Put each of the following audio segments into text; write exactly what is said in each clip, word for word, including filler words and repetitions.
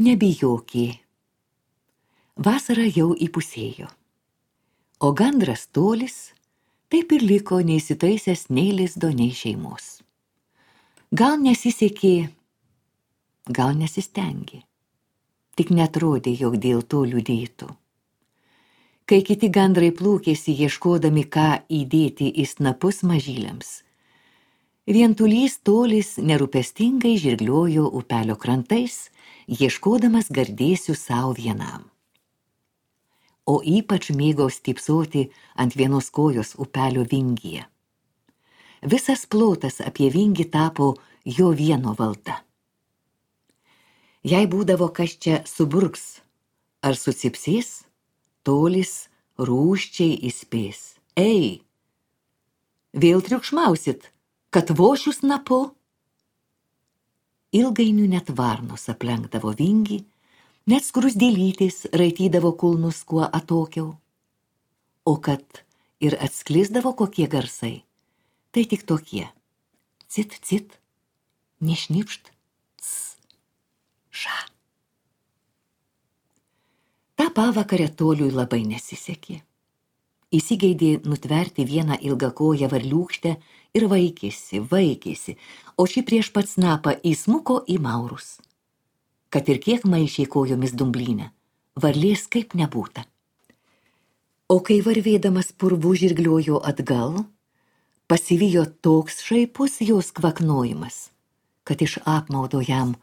Nebijokį. Vasara jau įpusėjo. O gandras Tolis taip ir liko neįsitaisęs nei lizdo, nei šeimos. Gal nesisekė, gal nesistengė. Tik netrodė, jog dėl to liūdėtų. Kai kiti gandrai plūkėsi ieškodami, ką įdėti į snapus mažyliams, vientulys Tolis nerūpestingai žirgliojo upelio krantais, ieškodamas gardėsių savo vienam. O ypač mėgo stypsoti ant vienos kojos upelio vingyje. Visas plotas apie vingį tapo jo vieno valda. Jei būdavo kas čia suburks ar susipsės, Tolis rūsčiai įspės. Ei, vėl triukšmausit, kad vošiu snapu? Ilgainiui net varnos aplenkdavo vingį, net skrusdėlytės raitydavo kulnus kuo atokiau. O kad ir atsklisdavo kokie garsai, tai tik tokie. Cit, cit, nešnipšt, ts, ša. Ta pavakarę Toliui labai nesisekė. Įsigeidė nutverti vieną ilgakoją varliūkštę ir vaikėsi, vaikėsi, o ši prieš pat snapą įsmuko į maurus. Kad ir kiek maišė kojomis dumblynę, varlės kaip nebūta. O kai varvėdamas purvų žirgliojo atgal, pasivijo toks šaipus jos kvaknojimas, kad iš apmaudo jam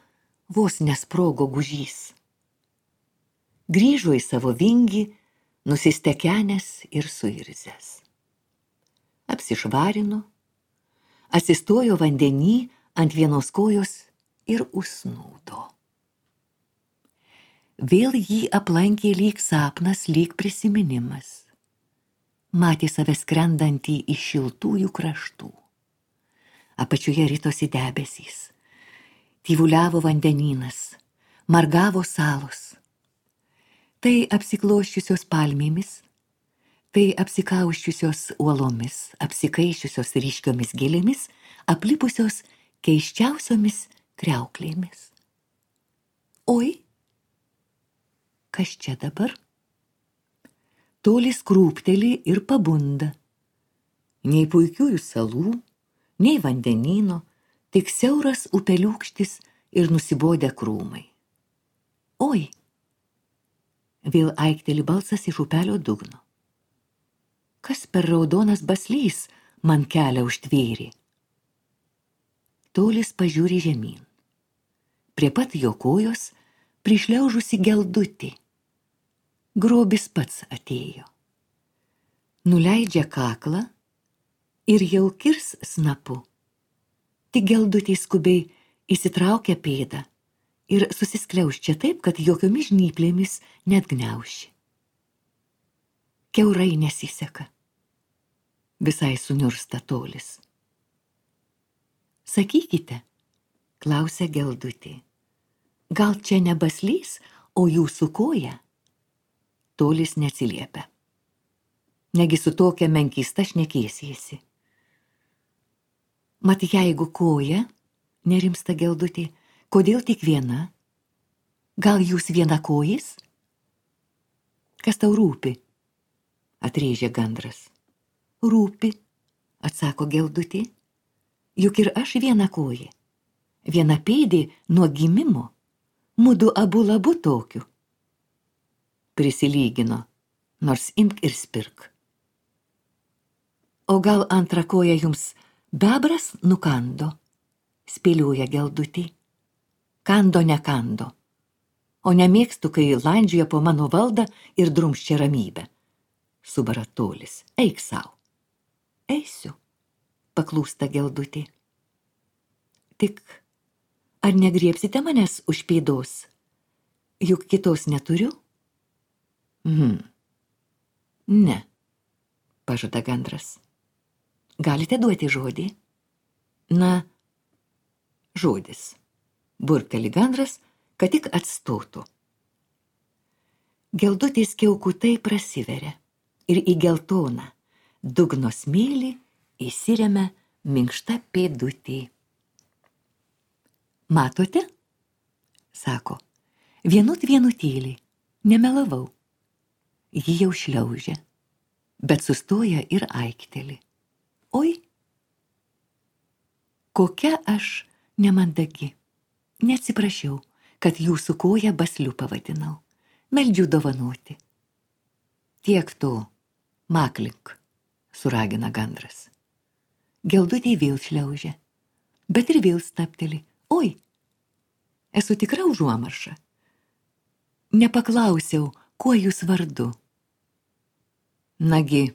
vos nesprogo gužys. Grįžo į savo vingį, nusistekenęs ir suirzęs. Apsišvarino, atsistojo vandenį ant vienos kojos ir užsnūdo. Vėl jį aplankė lyg sapnas, lyg prisiminimas. Matė save skrendantį iš šiltųjų kraštų. Apačioje ritosi debesys. Tyvuliavo vandenynas, margavo salos. Tai apsikloščiusios palmėmis, tai apsikauščiusios uolomis, apsikaiščiusios ryškiomis gėlėmis, aplipusios keiščiausiomis kriauklėmis. Oi, kas čia dabar? Tolis krūpteli ir pabunda. Nei puikiųjų salų, nei vandenyno, tik siauras upeliūkštis ir nusibodę krūmai. Oi! Vėl aikteli balsas iš upelio dugno. Kas per raudonas baslys man kelią užtvėrė? Tolis pažiūri žemyn. Prie pat jo kojos prišliaužusi geldutį. Grobis pats atėjo. Nuleidžia kaklą ir jau kirs snapu. Tik geldutį skubiai įsitraukia pėdą ir susiskliauščia taip, kad jokiomis žnyplėmis net gniauši. Kiaurai nesiseka. Visai suniursta Tolis. Sakykite, klausia geldutė, gal čia ne baslys, o jūsų koja? Tolis neatsiliepia. Negi su tokia menkysta šnekėsiesi. Mat jeigu koja, nerimsta geldutė, kodėl tik viena? Gal jūs viena kojis? Kas tau rūpi? Atrėžė gandras. Rūpi, atsako geldutė. Juk ir aš viena koja. Viena pėdė nuo gimimo. Mudu abu labu tokiu. Prisilygino, nors imk ir spirk. O gal antrą koją jums bebras nukando? Spėlioja geldutė. Kando nekando, o nemėgstu, kai landžioja po mano valdą ir drumsčia ramybę. Subara Tolis, eik sau. Eisiu, paklūsta geldutė. Tik, ar negriebsite manęs už pėdos? Juk kitos neturiu? Hmm. Ne, pažada gandras. Galite duoti žodį? Na, žodis. Burkteli gandras, kad tik atstotų. Geldutės kiaukutai prasiveria ir į geltoną dugno smėlį įsiremia minkšta pėdutė. Matote? Sako, Vienut vienutėlį, nemelavau. Ji jau šliaužia, bet sustoja ir aikteli. Oi, kokia aš nemandagi. Neatsiprašiau, kad jūsų koją basliu pavadinau. Meldžiu dovanoti. Tiek to, maklink, suragina gandras. Geldutė vėl šliaužia, bet ir vėl stapteli. Oi, esu tikra užuomarša. Nepaklausiau, kuo jūs vardu. Nagi,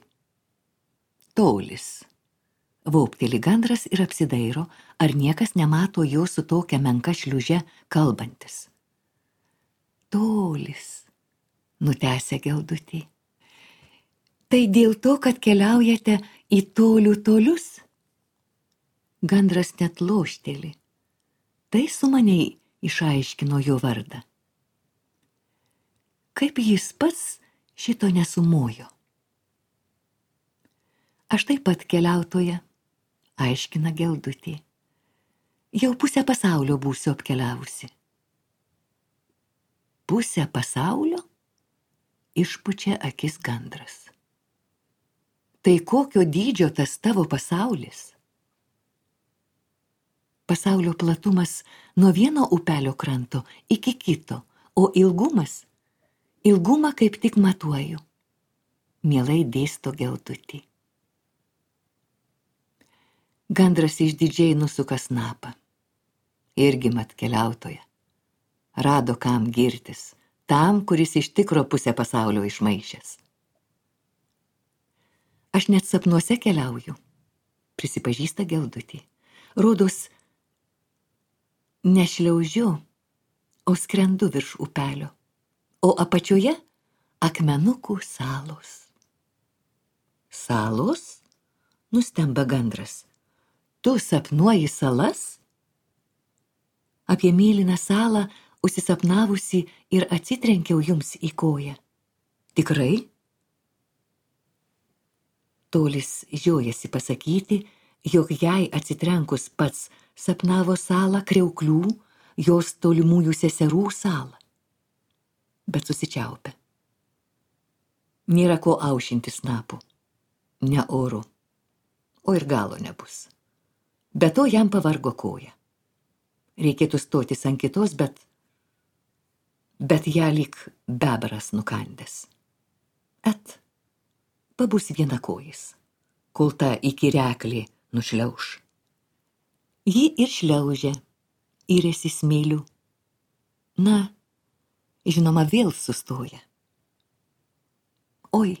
Tolis. Vaupteli gandras ir apsidairo, ar niekas nemato jo su tokia menka šliuže kalbantis. Tolis, nutęsia geldutė. Tai dėl to, kad keliaujate į tolių tolius? Gandras net lošteli. Tai sumaniai išaiškino jo vardą. Kaip jis pats šito nesumojo. Aš taip pat keliautoja, aiškina geldutė. Jau pusę pasaulio būsiu apkeliavusi. Pusę pasaulio? Išpučia akis gandras. Tai kokio dydžio tas tavo pasaulis? Pasaulio platumas nuo vieno upelio kranto iki kito, o ilgumas? Ilgumą kaip tik matuoju. Mielai dėsto geldutė. Gandras išdidžiai nusuka snapą. Irgi mat keliautoja. Rado kam girtis, tam, kuris iš tikro pusę pasaulio išmaišęs. Aš net sapnuose keliauju, prisipažįsta geldutė. Rodos, nešliaužiu, o skrendu virš upelio, o apačioje akmenukų salos. Salos? Nustemba gandras. Tu sapnuoji salas? Apie mėlyną salą užsisapnavusi ir atsitrenkiau jums į koją. Tikrai? Tolis žiojasi pasakyti, jog jai atsitrenkus pats sapnavo salą Kriauklių, jos tolimųjų seserų salą. Bet susičiaupia. Nėra ko aušinti snapų. Ne oru. O ir galo nebus. Be to jam pavargo koja. Reikėtų stotis ant kitos, bet... Bet ją lyg bebras nukandęs. Et, pabus vienakojis, kol ta įkyreklė nušliauš. Ji ir šliaužia, įrėsi smėliu. Na, žinoma, vėl sustoja. Oi,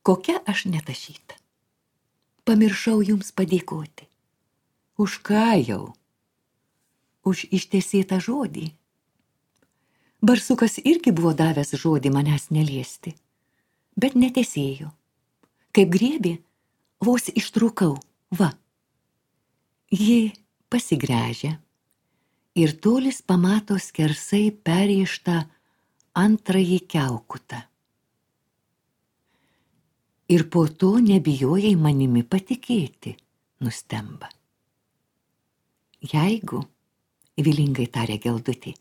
kokia aš netašyta. Pamiršau jums padėkoti. Už ką jau? Už ištesėtą žodį. Barsukas irgi buvo davęs žodį manęs neliesti, bet netesėjo. Kaip griebė, vos ištrūkau, va. Ji pasigręžia ir Tolis pamato skersai perrėžtą antrąjį kiaukutą. Ir po to nebijojai manimi patikėti, nustemba. Jeigu, vilingai tarė geldutė,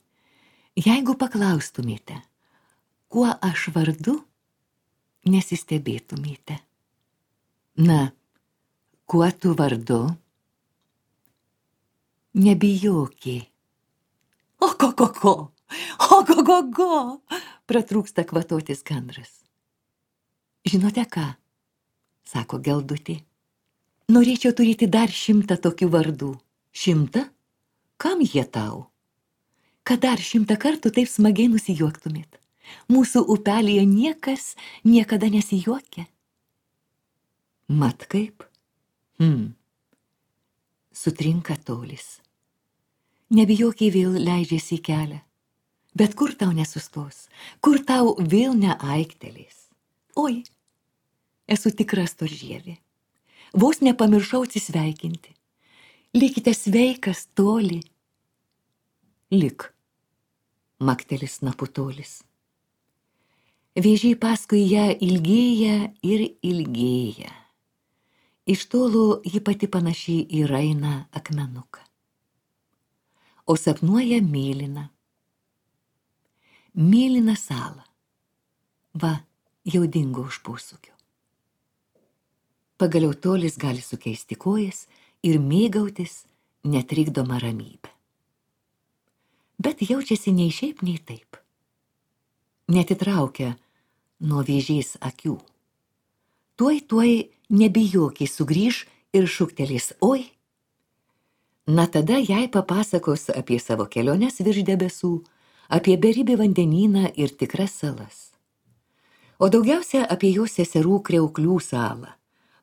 jeigu paklaustumėte, kuo aš vardu, nesistebėtumėte. Na, kuo tu vardu? Nebijokė. O ko, ko, ko, o ko, ko, ko, pratrūksta kvatotis gandras. Žinote ką, sako geldutė, norėčiau turėti dar šimtą tokių vardų. Šimtą? Kam jie tau? Kad dar šimtą kartų taip smagiai nusijuoktumėt. Mūsų upelėje niekas niekada nesijuokia. Mat kaip? Hmm. Sutrinka Tolis. Nebijokiai vėl leidžiasi į kelią. Bet kur tau nesustos? Kur tau vėl neaiktelės? Oi, esu tikra storžievė. Vos nepamiršau atsisveikinti. Likite sveikas, Toli. Lik, maktelis snapu Tolis. Vėžiai paskui ją ilgėja ir ilgėja. Iš tolo ji pati panaši į rainą akmenuką. O sapnuoja mėlyną. mėlyną salą. Va, jau dingo už posūkio. Pagaliau Tolis gali sukeisti kojas ir mėgautis netrikdoma ramybė. Bet jaučiasi nei šiaip, nei taip. Netitraukia nuo vėžės akių. Tuoj, tuoj nebijokiai sugrįž ir šūktelės oi. Na tada jai papasakos apie savo keliones virš debesų, apie beribį vandenyną ir tikras salas. O daugiausia apie jos seserų kriauklių salą,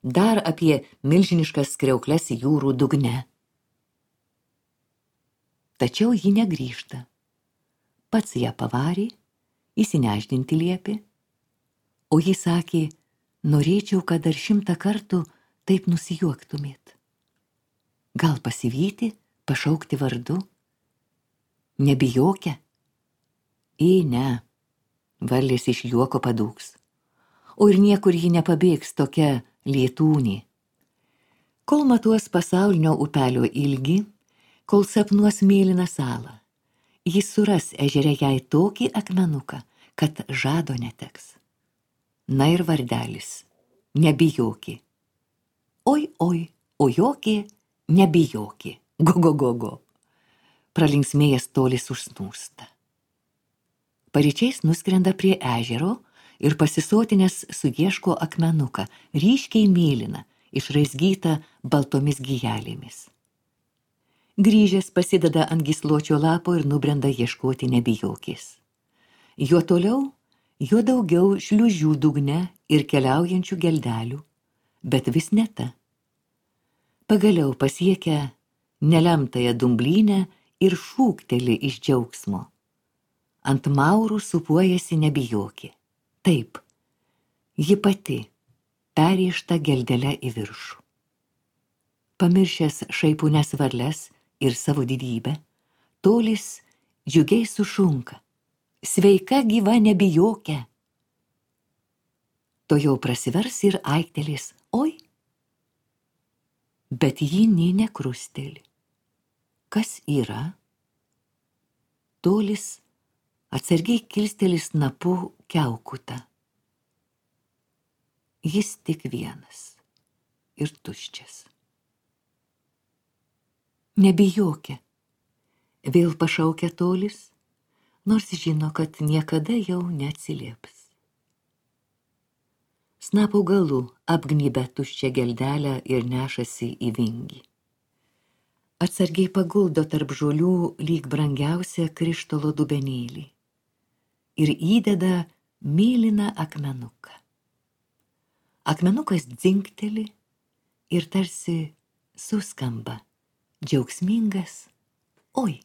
dar apie milžiniškas kriaukles jūrų dugne. Tačiau ji negrįžta. Pats ją pavarė, įsineždinti liepė, o ji sakė, norėčiau, kad dar šimtą kartų taip nusijuoktumėt. Gal pasivyti, pašaukti vardu? Nebijokia? Į ne, varlės iš juoko padūks. O ir niekur ji nepabėgs tokia lietūnė. Kol matuos pasaulinio upelio ilgį, kol sapnuos mėlyną salą, jis suras ežere jai tokį akmenuką, kad žado neteks. Na ir vardelis, nebijoki. Oi, oi, o joki, nebijoki. Go, go, go, go. Pralinksmėjęs Tolis užsnūsta. Paryčiais nuskrenda prie ežero ir pasisotinęs suieško akmenuką, ryškiai mėlyną, išraizgytą baltomis gijelėmis. Grįžęs pasideda ant gysločio lapo ir nubrenda ieškoti nebijokės. Jo toliau, jo daugiau šliužių dugne ir keliaujančių geldelių, bet vis ne ta. Pagaliau pasiekia nelemtąją dumblynę ir šūkteli iš džiaugsmo. Ant maurų supuojasi nebijokė. Taip, ji pati, perriešta geldelę į viršų. Pamiršęs šaipūnes varles ir savo didybę, Tolis džiugiai sušunka. Sveika gyva nebijokė. To jau prasivers ir aiktelės, oi. Bet ji nė nekrusteli. Kas yra? Tolis atsargiai kilsteli snapu kiaukutą. Jis tik vienas ir tuščias. Nebijokė, vėl pašaukia Tolis, nors žino, kad niekada jau neatsilieps. Snapo galu apgnybę tuščią geldelę ir nešasi į vingį. Atsargiai paguldo tarp žolių lyg brangiausią krištolo dubenėlį ir įdeda mėlyną akmenuką. Akmenukas dzingteli ir tarsi suskamba džiaugsmingas oi.